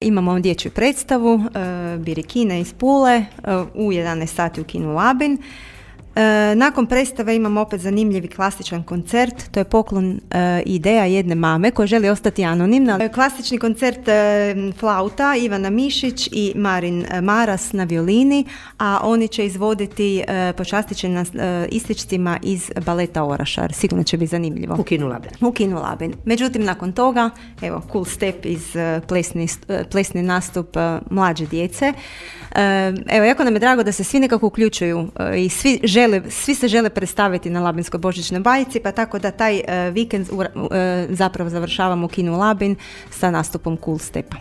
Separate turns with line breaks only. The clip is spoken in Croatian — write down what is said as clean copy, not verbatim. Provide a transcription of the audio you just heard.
Imamo dječju predstavu, Birikine iz Pule, u 11 sati u kinu Labin. Nakon predstave imamo opet zanimljivi klasičan koncert, to je poklon ideja jedne mame koja želi ostati anonimna. Klasični koncert flauta Ivana Mišić i Marin Maras na violini, a oni će izvoditi počastit će nas ističcima iz baleta Orašar. Sigurno će biti zanimljivo. U kinu Labin. Međutim, nakon toga, evo, cool step iz plesni nastup mlađe djece. Evo, jako nam je drago da se svi nekako uključuju i svi se žele predstaviti na Labinskoj božićnoj bajci, pa tako da taj vikend zapravo završavamo u kinu Labin sa nastupom Cool Stepa.